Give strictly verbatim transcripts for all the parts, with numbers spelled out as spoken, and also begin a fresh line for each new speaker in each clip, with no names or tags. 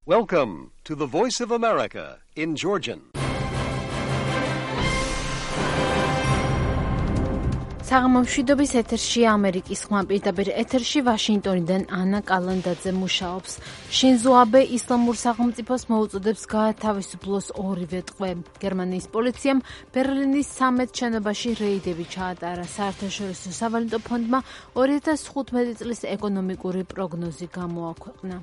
Welcome to the Voice of America in Georgian.
საღამომშვიდობის ეთერში ამერიკის ხმა პირდაპირ ეთერში ვაშინგტონიდან ანა კალანდაძე მუშაობს. შინზო აბე ისლამურ სახელმწიფოს მოუწოდებს გაათავისუფლოს ორივე ტყვე. გერმანიის პოლიციამ ბერლინის სამედ შენობაში რეიდები ჩაატარა. საერთაშორისო სავალუტო ფონდმა ორი ათას თხუთმეტი წლის ეკონომიკური პროგნოზი გამოაქვეყნა.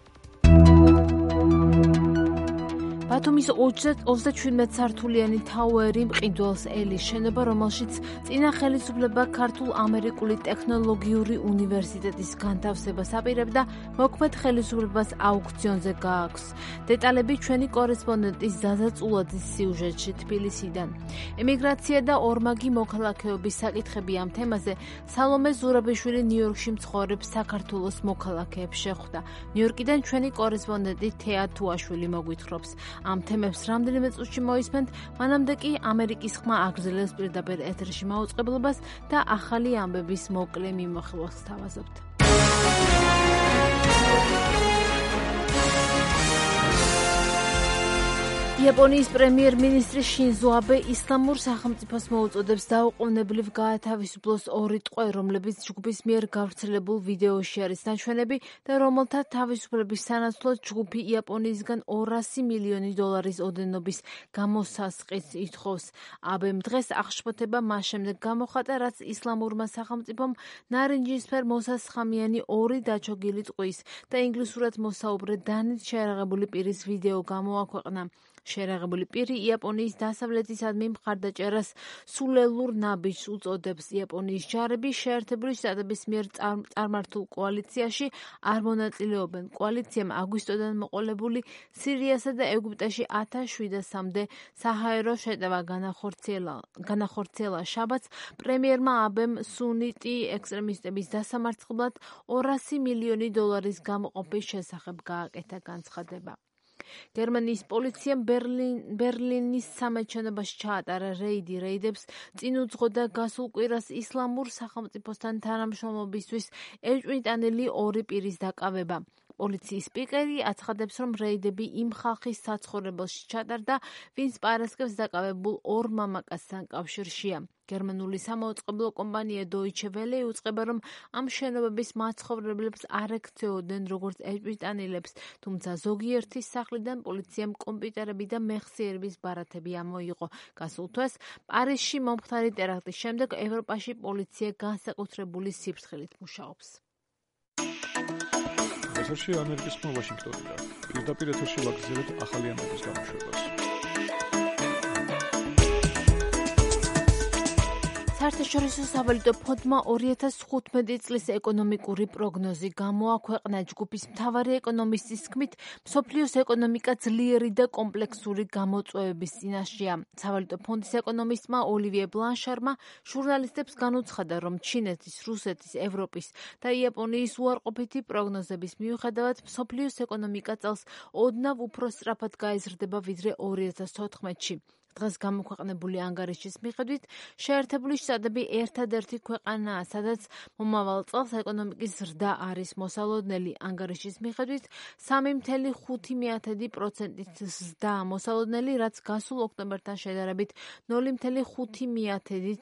ბათუმის ოცდაშვიდმეტ სართულიანი თაუერი მყიდველს ელის შენობა, რომელშიც წინა ხელისუფლება ქართულ-ამერიკული ტექნოლოგიური უნივერსიტეტის განთავსებას აპირებდა, მოქმედ ხელისუფლებას აუქციონზე გააქვს. დეტალები ჩვენი კორესპონდენტის ზაზა წულაძის სიუჟეტში თბილისიდან. ემიგრაცია და ორმაგი მოქალაქეობის საკითხები ამ თემაზე სალომე ზურაბიშვილი ნიუ-იორკში მცხოვრებ საქართველოს მოქალაქეებს შეხვდა. ნიუ-იორკიდან ჩვენი კორესპონდენტი თეა თუაშვილი მოგვითხრობს. ამ თემებს რამდენიმე წუთში მოისმენთ, მანამდე კი ამერიკის ხმა აგრძელებს პირდაპირ ეთერში მაუწყებლობას და ახალი ამბების მოკლე მიმოხილვას თავაზობთ. იაპონიის პრემიერ-მინისტრი შინზო აბე ისლამურ სახელმწიფოს მოუწოდებს დაუყოვნებლივ გაათავისუფლოს ორი ტყვე, რომლებიც ჯგუფის მიერ გავრცელებულ ვიდეოში არის ნაჩვენები და რომელთა თავისუფლების სანაცვლოდ ჯგუფი იაპონიისგან ორასი მილიონი დოლარის ოდენობის გამოსასყიდს ითხოვს. აბემ დღეს აღშფოთება მას შემდეგ გამოხატა, რაც ისლამურმა სახელმწიფომ ნარინჯისფერ მოსასხამიანი ორი დაჩოგილი ტყვის და ინგლისურად მოსაუბრე დანით შეერაღებული პირის ვიდეო გამოაქვეყნა. შეერაღებული პირი იაპონიის დასავლეთისადმი მხარდაჭერას სულელურ ნაბიჯს უწოდებს. იაპონიის ჯარები შეერთებული შტატების მიერ წარმართულ კოალიციაში არ მონაწილეობენ. კოალიციამ აგვისტოდან მოყოლებული სირიასა და ეგვიპტეში ათას შვიდასამდე საჰაერო შეტევა განახორციელა. შაბათს პრემიერმა აბემ სუნიტი ექსტრემისტების დასამარცხებლად ორასი მილიონი დოლარის გამოყოფის შესახებ გააკეთა განცხადება. გერმანიის პოლიციამ ბერლინის სამედ შენობაში ჩაატარა რეიდი. რეიდებს წინ უძღოდა გასულ კვირას ისლამურ სახელმწიფოსთან თანამშრომლობისთვის ეჭვმიტანილი ორი პირის დაკავება. პოლიციის სპიკერი აცხადებს, რომ რეიდები იმ ხალხის საცხოვრებელში ჩატარდა, ვინც პარასკევს დაკავებულ ორ მამაკაცთან კავშირშია. გერმანული სამაუწყებლო კომპანია Deutsche Welle უწყება, რომ ამ შენობების მაცხოვრებლებს არ ექცეოდნენ როგორც ეჭვმიტანილებს, თუმცა ზოგიერთის სახლიდან პოლიციამ კომპიუტერები და მეხსიერების ბარათები ამოიღო. გასულ თვეს პარიზში მომხდარი ტერაქტის შემდეგ ევროპაში პოლიცია განსაკუთრებული სიფრთხილით მუშაობს.
ეთერში ამერიკის ხმა ვაშინგტონიდან. პირდაპირ ეთერში ვაგრძელებთ ახალი ამბების გამოშვებას.
საერთაშორისო სავალუტო ფონდმა ორი ათას თხუთმეტი წლის ეკონომიკური პროგნოზი გამოაქვეყნა. ჯგუფის მთავარი ეკონომისტის თქმით, მსოფლიოს ეკონომიკა ძლიერი და კომპლექსური გამოწვევების წინაშეა. სავალუტო ფონდის ეკონომისტმა ოლივიე ბლანშარმა ჟურნალისტებს განუცხადა, რომ ჩინეთის, რუსეთის, ევროპის და იაპონიის უარყოფითი პროგნოზების მიუხედავად მსოფლიოს ეკონომიკა წელს ოდნავ უფრო სწრაფად გაიზრდება ვიდრე ორი ათას თოთხმეტში. დღეს გამოქვეყნებული ანგარიშის მიხედვით შეერთებული შტატები ერთადერთი ქვეყანაა, სადაც მომავალ წელს ეკონომიკის ზრდა არის მოსალოდნელი. ანგარიშის მიხედვით სამი მცდე ხუთი პროცენტით ზრდა მოსალოდნელი, რაც გასულ ოქტომბერთან შედარებით ნული მცდე ხუთი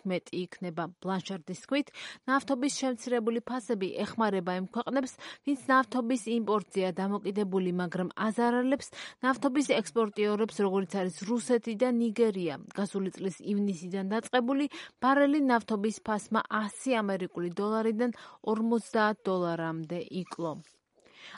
მეტი იქნება. ბლანშარდის თქმით, ნავთობის შემცირებული ფასები ეხმარება იმ ქვეყნებს, ვინც ნავთობის იმპორტზეა დამოკიდებული, მაგრამ აზარალებს ნავთობის ექსპორტიორებს, როგორც არის რუსეთი და ნიგერია. გასული წლის ივნისიდან დაწყებული ბარელი ნავთობის ფასმა ასი ამერიკული დოლარიდან ორმოცდაათ დოლარამდე იკლო.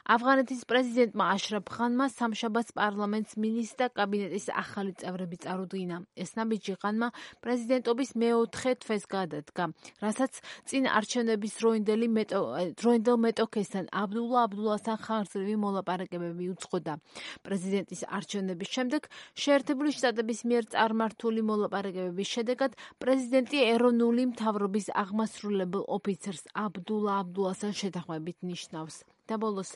ავღანეთის პრეზიდენტმა აშრაფ ღანმა სამშაბათს პარლამენტს მინისტრთა კაბინეტის ახალი წევრები წარუდგინა. ეს ნაბიჯი ღანმა პრეზიდენტობის მეოთხე თვეს გადადგა, რასაც წინ არჩევნების დროინდელ მეტოქესთან აბდულა აბდულასთან ხანგრძლივი მოლაპარაკებები უძღოდა. პრეზიდენტის არჩევნების შემდეგ შეერთებული შტატების მიერ წარმართული მოლაპარაკებების შედეგად პრეზიდენტი ეროვნული მთავრობის აღმასრულებელ ოფიცერს აბდულა აბდულასთან შეთანხმებით ნიშნავს. და ბოლოს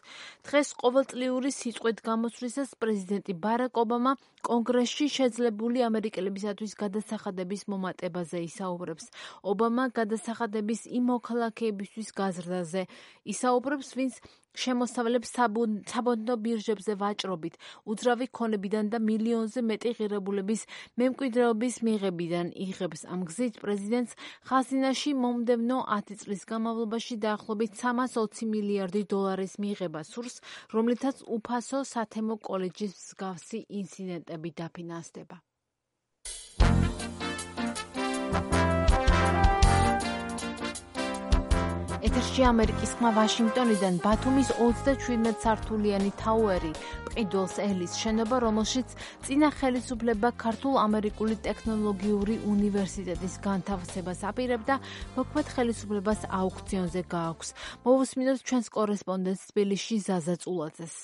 დღეს ყოველწლიური სიწყვეთ გამოსვლისას პრეზიდენტი ბარაკ ობამა კონგრესში შეძლებული ამერიკელებისათვის გადასახადების მომატებაზე ისაუბრებს. ობამა გადასახადების იმ მოქალაქეებისთვის გაზრდაზე ისაუბრებს, ვინც შემოსავლებს საბონდო ბირჟებზე ვაჭრობით, უძრავი ქონებიდან და მილიონზე მეტი ღირებულების მემკვიდრეობის მიღებიდან იღებს. ამ გზით პრეზიდენტს ხაზინაში მომდევნო ათი წლის განმავლობაში დაახლოებით სამას ოცი მილიარდი დოლარის მიღება სურს, რომლითაც უფასო სათემო კოლეჯის მსგავსი ინციდენტები დაფინანსდება. ეთერში ამერიკის ხმა ვაშინგტონიდან ბათუმის ოცდაშვიდმეტ სართულიანი თაუერი, მყიდველს ელის შენობა, რომელშიც წინა ხელისუფლება ქართულ-ამერიკული ტექნოლოგიური უნივერსიტეტის განთავსებას აპირებდა, მოქმედ ხელისუფლებას აუქციონზე გააქვს. მოვუსმინოთ ჩვენს კორესპონდენტს თბილისში ზაზა წულაძეს.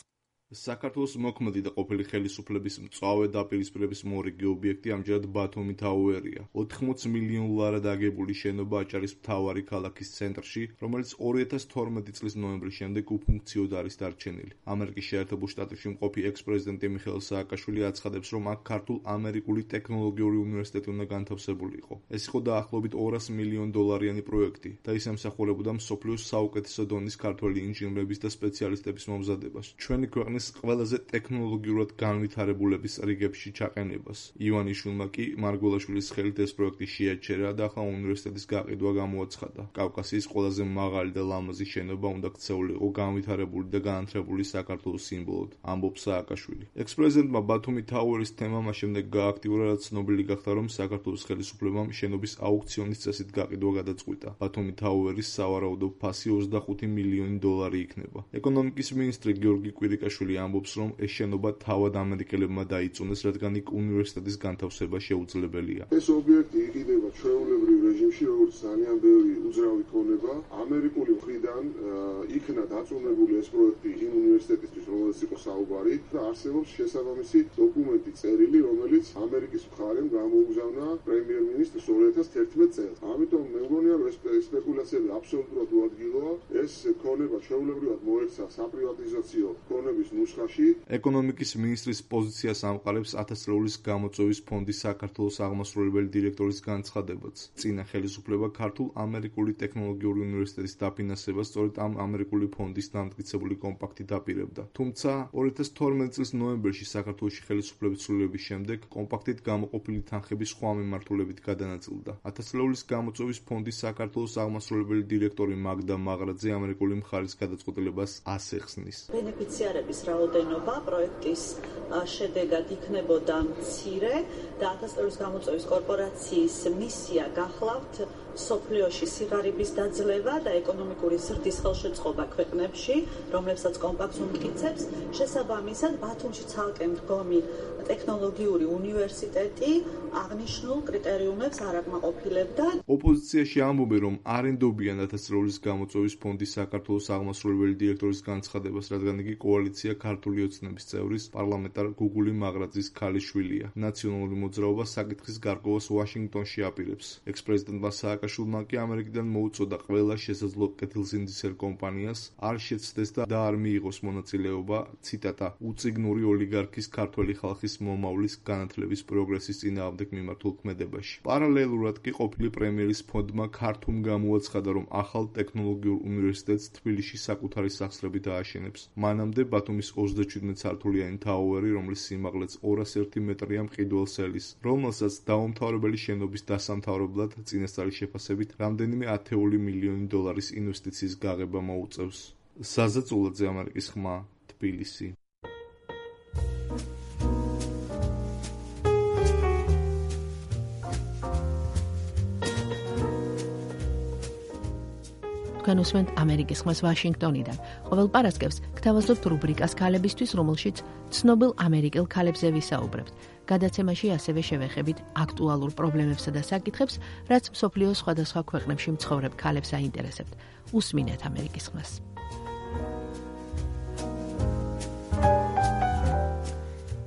საქართველოს მოქმედი და ყოფილი ხელისუფლების მწვავე დაპირისპირების მორიგი ობიექტი ამჯერად ბათუმი თაუერია. ოთხმოცი მილიონლარად აგებული შენობა აჭარის მთავარი ქალაქის ცენტრში, რომელიც ორი ათას თორმეტი წლის ნოემბრის შემდეგ უფუნქციოდ არის დარჩენილი. ამერიკის შეერთებულ შტატებში მყოფი ექს-პრეზიდენტი მიხეილ სააკაშვილი აცხადებს, რომ აქ ქართულ-ამერიკული ტექნოლოგიური უნივერსიტეტი უნდა განთავსებული იყო. ეს იყო დაახლოებით ორასი მილიონ დოლარიანი პროექტი და ის ემსახურებოდა მსოფლიოს საუკეთესო დონის ქართველი ინჟინრების და სპეციალისტების მომზადებას. ჩვენი ქვეყნის ყველაზე ტექნოლოგიურად განვითარებულების რიგებში ჩაყენებას. ივანიშვილმა კი მარგველაშვილის ხელით ეს პროექტი შეაჩერა და ახლა უნივერსიტეტის გაყიდვა გამოაცხადა. კავკასიის ყველაზე მაღალი და ლამაზი შენობა უნდა ქცეულიყო განვითარებული და განათლებული საქართველოს სიმბოლოდ, ამბობს სააკაშვილი. ექს-პრეზიდენტმა ბათუმი თაუერის თემა მას შემდეგ გააქტიურა, რაც ცნობილი გახდა, რომ საქართველოს ხელისუფლებამ შენობის აუქციონის წესით გაყიდვა გადაწყვიტა. ბათუმი თაუერის სავარაუდო ფასი ოცდახუთი მილიონი დოლარი იქნება. ეკონომიკის მინისტრი გიორგი კვირიკაშვილი ამბობს, რომ ეს შენობა თავად ამერიკელებმა დაიწუნეს, რადგან იქ უნივერსიტეტის განთავსება შეუძლებელია.
ეს ობიექტი იყიდება ჩვეულებრივ რეჟიმში, როგორც ძალიან ბევრი უძრავი ქონება. ამერიკული მხრიდან იქნა დაწუნებული ეს პროექტი იმ უნივერსიტეტისთვის, რომელიც იყო საუბარი და არსებობს შესაბამისი დოკუმენტი წერილი, რომელიც ამერიკის მხარემ გამოუგზავნა პრემიერ-მინისტრს ორი ათას თერთმეტ წელს. ამიტომ მე მგონია, რომ ეს სპეკულაციები აბსოლუტურად უადგილოა. ეს ქონება ჩვეულებრივად მოექცა საპრივატიზაციო ქონების ნუსხაში.
ეკონომიკის მინისტრის პოზიციას ამყარებს ათასწლეულის გამოწვევის ფონდის საქართველოს აღმასრულებელი დირექტორის განცხადებაც. წინა ხელისუფლება ქართულ-ამერიკული ტექნოლოგიური უნივერსიტეტის დაფინანსებას სწორედ ამ ამერიკული ფონდის დამტკიცებული კომპაქტით აპირებდა. თუმცა ორი ათას თორმეტი წლის ნოემბერში საქართველოში ხელისუფლების ცვლილების შემდეგ კომპაქტით გამოყოფილი თანხები სხვა მიმართულებით გადანაწილდა. ათასწლეულის გამოწვევის ფონდის საქართველოს აღმასრულებელი დირექტორი მაგდა მაღრაძე ამერიკული მხარის გადაწყვეტილებას ასეხსნის.
ბენეფიციარების რაოდენობა პროექტის შედეგად იქნებოდა მცირე და ათასწლეულის გამოწვევის კორპორაციის მისია გახლავთ სოფლიოში სიღარიბის დაძლევა და ეკონომიკური ზრდის ხელშეწყობა ქვეყნებში, რომლებსაც კომპაქტს უმტკიცებს. შესაბამისად, ბათუმში ცალკე მდგომი ტექნოლოგიური უნივერსიტეტი აღნიშნულ კრიტერიუმებს არ აკმაყოფილებდა.
ოპოზიციაში ამბობენ, რომ არ ენდობიან ათასწლეულის გამოწვევის ფონდის საქართველოს აღმასრულებელი დირექტორის განცხადებას, რადგან იგი კოალიცია ქართული ოცნების წევრის პარლამენტარ გუგული მაღრაძის ქალიშვილია. ნაციონალური მოძრაობა საკითხის გარკვევას ვაშინგტონში აპირებს. ექს-პრეზიდენტმა სააკაშვილმა კი ამერიკიდან მოუწოდა ყველა შესაძლო კეთილსინდისელ კომპანიას არ შეცდეს და არ მიიღოს მონაწილეობა, ციტატა, უწიგნური ოლიგარქის ქართველი ხალხის მომავლის განათლების პროგრესის წინააღმდეგ მიმართულ ქმედებაში. პარალელურად კი ყოფილი პრემიერის ფონდმა ქართუმ გამოაცხადა, რომ ახალ ტექნოლოგიურ უნივერსიტეტს თბილისში საკუთარი სახსრებით ააშენებს. მანამდე ბათუმის ოცდაშვიდმეტ სართულიანი თაუერი, რომლის სიმაღლეც ორასი ერთი მეტრია, მყიდველს ელის, რომელსაც დაუმთავრებელი შენობის დასამთავრებლად წინასწარი შეფასებით რამდენიმე ათეული მილიონი დოლარის ინვესტიციის გაღება მოუწევს. ზაზა წულაძე, ამერიკის ხმა, თბილისი.
თქვენ უსმენთ ამერიკის ხმას ვაშინგტონიდან. ყოველ პარასკევს გთავაზობთ რუბრიკას ქალებისთვის, რომელშიც ცნობილ ამერიკელ ქალებზე ვისაუბრებთ. გადაცემაში ასევე შევეხებით აქტუალურ პრობლემებსა და საკითხებს, რაც მსოფლიოს სხვადასხვა ქვეყნებში მცხოვრებ ქალებს აინტერესებთ. უსმინეთ ამერიკის ხმას.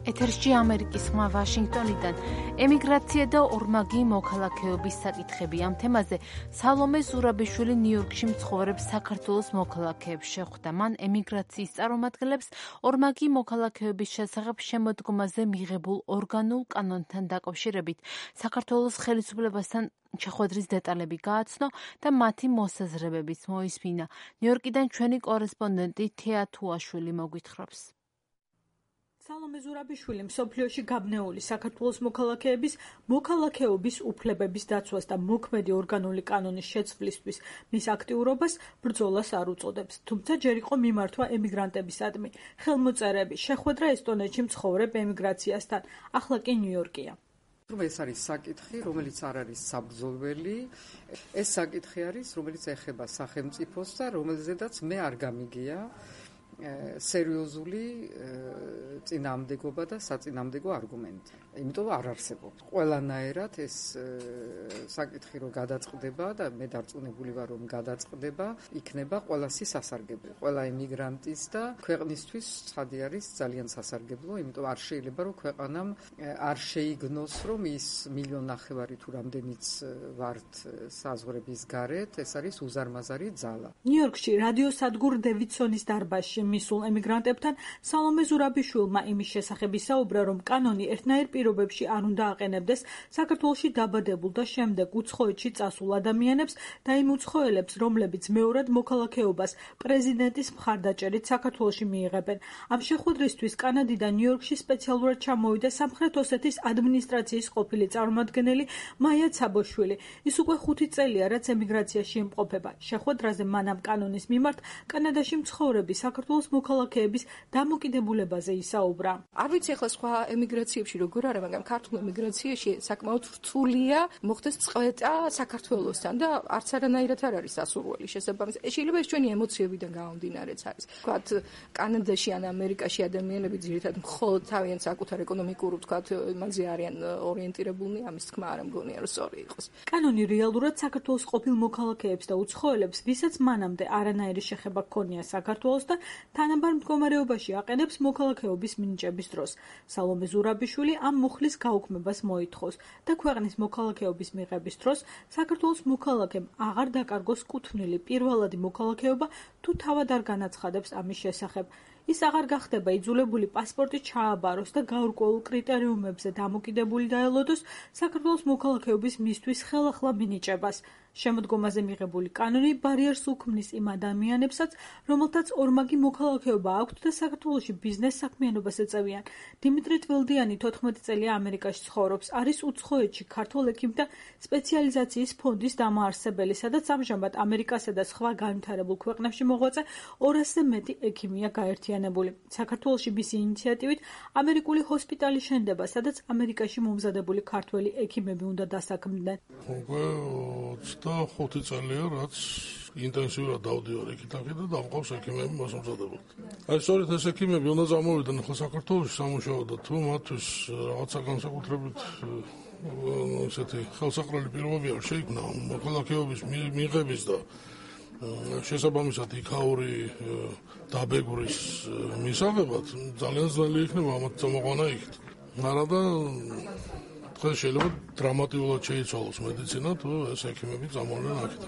ეთერში ამერიკის ხმა ვაშინგტონიდან ემიგრაცია და ორმაგი მოქალაქეობის საკითხები. ამ თემაზე სალომე ზურაბიშვილი ნიუ-იორკში მცხოვრებ საქართველოს მოქალაქეებს შეხვდა. მან ემიგრაციის წარმომადგენლებს ორმაგი მოქალაქეობის შესახებ შემოდგომაზე მიღებულ ორგანულ კანონთან დაკავშირებით საქართველოს ხელისუფლებასთან შეხვედრის დეტალები გააცნო და მათი მოსაზრებებიც მოისმინა. ნიუ-იორკიდან ჩვენი კორესპონდენტი თეა თუაშვილი მოგვითხრობს.
სალომე ზურაბიშვილი მსოფლიოში გაბნეული საქართველოს მოქალაქეების მოქალაქეობის უფლებების დაცვას და მოქმედი ორგანული კანონის შეცვლისთვის მის აქტიურობას ბრძოლას არ უწოდებს. თუმცა ჯერ იყო მიმართვა ემიგრანტებისადმი. ხელმოწერები შეხვედრა ესტონეთში მცხოვრებ ემიგრაციასთან. ახლა კი ნიუ-იორკია.
ეს არის საკითხი, რომელიც არ არის საბრძოლველი. ეს საკითხი არის, რომელიც ეხება სახელმწიფოს და რომელზედაც მე არ გამიგია სერიოზული წინააღმდეგობა და საწინააღმდეგო არგუმენტი. იმიტომ არ არსებობს. ყველანაირად ეს საკითხი რომ გადაწყდება და მე დარწმუნებული ვარ რომ გადაწყდება, იქნება ყველასი სასარგებლო. ყველა ემიგრანტის და ქვეყნისთვის ცხადი არის ძალიან სასარგებლო, იმიტომ არ შეიძლება რომ ქვეყანამ არ შეიგნოს რომ ის მილიონ ნახევარი თუ რამდენიც ვართ საზღვრების გარეთ, ეს არის უზარმაზარი ძალა.
ნიუ-იორკში რადიოსადგურ დევიდსონის დარბაზში მისულ ემიგრანტებთან სალომე ზურაბიშვილმა იმის შესახებ ისაუბრა, რომ კანონი ერთნაირ პირობებში არ უნდა აყენებდეს საქართველოში დაბადებულ და შემდეგ უცხოეთში წასულ ადამიანებს და იმ უცხოელებს, რომლებიც მეორად მოქალაქეობას პრეზიდენტის მხარდაჭერით საქართველოში მიიღებენ. ამ შეხვედრისთვის კანადიდან ნიუ-იორკში სპეციალურად ჩამოვიდა სამხრეთ ოსეთის ადმინისტრაციის ყოფილი წარმომადგენელი მაია ცაბოშვილი. ის უკვე ხუთი წელია, რაც ემიგრაციაში იმყოფება. შეხვედრაზე მან ამ კანონის მიმართ კანადაში მცხოვრები საქართველოს მოქალაქეების დამოკიდებულებაზე ისაუბრა.
არ ვიცი ახლა სხვა ემიგრაციებში როგორ არის, მაგრამ ქართულ ემიგრაციაში საკმაოდ რთულია მოხდეს წყვეტა საქართველოსთან და არც არანაირად არ არის ასურველი შესაბამისად. შეიძლება ეს ჩვენი ემოციებიდან გამომდინარეც არის. ვთქვათ, კანადაში ან ამერიკაში ადამიანები ძირითადად მხოლოდ თავიანთ საკუთარ ეკონომიკურ ვთქვათ იმაზე არიან ორიენტირებულნი, ამის თქმა არ მგონია რომ სწორი იყოს.
კანონი რეალურად საქართველოს ყოფილ მოქალაქეებს და უცხოელებს, ვისაც მანამდე არანაირი შეხება ჰქონია საქართველოს და თანაბარ მდგომარეობაში აყენებს მოქალაქეობის მინიჭების დროს. სალომე ზურაბიშვილი ამ მუხლის გაუქმებას მოითხოვს და ქვეყნის მოქალაქეობის მიღების დროს საქართველოს მოქალაქემ აღარ დაკარგოს კუთვნილი პირველადი მოქალაქეობა თუ თავად არ განაცხადებს ამის შესახებ. ის აღარ გახდება იძულებული პასპორტი ჩააბაროს და გაურკვეულ კრიტერიუმებზე დამოკიდებული დაელოდოს საქართველოს მოქალაქეობის მისთვის ხელახლა მინიჭებას. შემოდგომაზე მიღებული კანონი ბარიერს უქმნის იმ ადამიანებსაც, რომელთაც ორმაგი მოქალაქეობა აქვთ და საქართველოში ბიზნეს საქმიანობას ეწევიან. დიმიტრი ტვილდიანი თოთხმეტი წელია ამერიკაში ცხოვრობს, არის უცხოეთში ქართველ ექიმთა სპეციალიზაციის ფონდის დამაარსებელი, სადაც ამჟამად ამერიკასა და სხვა განვითარებულ ქვეყნებში მოღვაწე ორასზე მეტი ექიმია გაერთიანებული. საქართველოში მისი ინიციატივით ამერიკული ჰოსპიტალი შენდება, სადაც ამერიკაში მომზადებული ქართველი ექიმები უნდა დასაქმდნენ.
და ხუთი წელია, რაც ინტენსიურად დავდივარ იქით-აქეთ და დამყავს ექიმები მოსამზადებელად. აი, სწორედ ეს ექიმები უნდა წამოვიდნენ ახლა საქართველოში სამუშაოდ და თუ მათთვის რაღაცა განსაკუთრებით ესეთი ხელსაყრელი პირობები არ შეიქმნა მოქალაქეობის მიღების და შესაბამისად იქაური დაბეგვრის მისაღებად, ძალიან ძნელი იქნება ამათ წამოყვანა იქით. არა და დღეს შეიძლება დრამატულად შეიცვალოს მედიცინა თუ ეს ექიმები წამოვლენ აქეთ.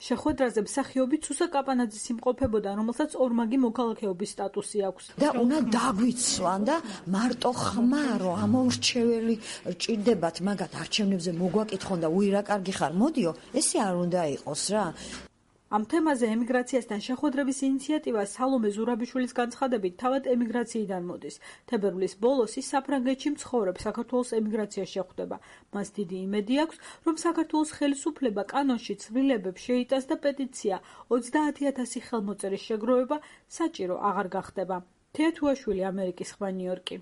შეხვედრაზე მსახიობი ცუსა კაპანაძის იმყოფებოდა, რომელსაც ორმაგი მოქალაქეობის სტატუსი აქვს.
და უნდა დაგვიცვლან და მარტო ხმა რომ ამოურჩეველი ჭირდებათ მაგათ არჩევნებზე მოგვაკითხონ და უირა კარგი ხარ მოდიო, ესე არ უნდა იყოს რა.
ამ თემაზე ემიგრაციასთან შეხვედრების ინიციატივა სალომე ზურაბიშვილის განცხადებით თავად ემიგრაციიდან მოდის. თებერვლის ბოლოს ის საფრანგეთში მცხოვრებ საქართველოს ემიგრაციას შეხვდება. მას დიდი იმედი აქვს, რომ საქართველოს ხელისუფლება კანონში ცვლილებებს შეიტანს და პეტიცია ოცდაათი ათასი ხელმოწერის შეგროვება საჭირო აღარ გახდება. თეა თუაშვილი, ამერიკის ხმა, ნიუ-იორკი.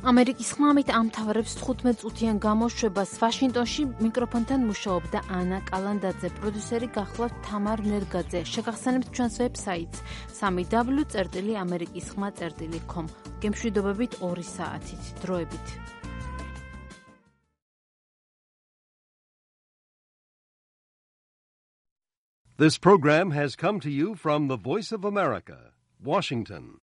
ამერიკის ხმამით ამთავრებს თხუთმეტ წუთიან გამოშვებას. ვაშინგტონში მიკროფონთან მუშაობდა ანა კალანდაძე, პროდიუსერი გახლავთ თამარ ნერგაძე. შეგახსენებთ ჩვენს ვებსაიტს სამი დაბლიუ წერტილი ამერიკის ხმა წერტილი კომ. გემშვიდობებით ორი საათით. დროებით.
This program has come to you from the Voice of America, Washington.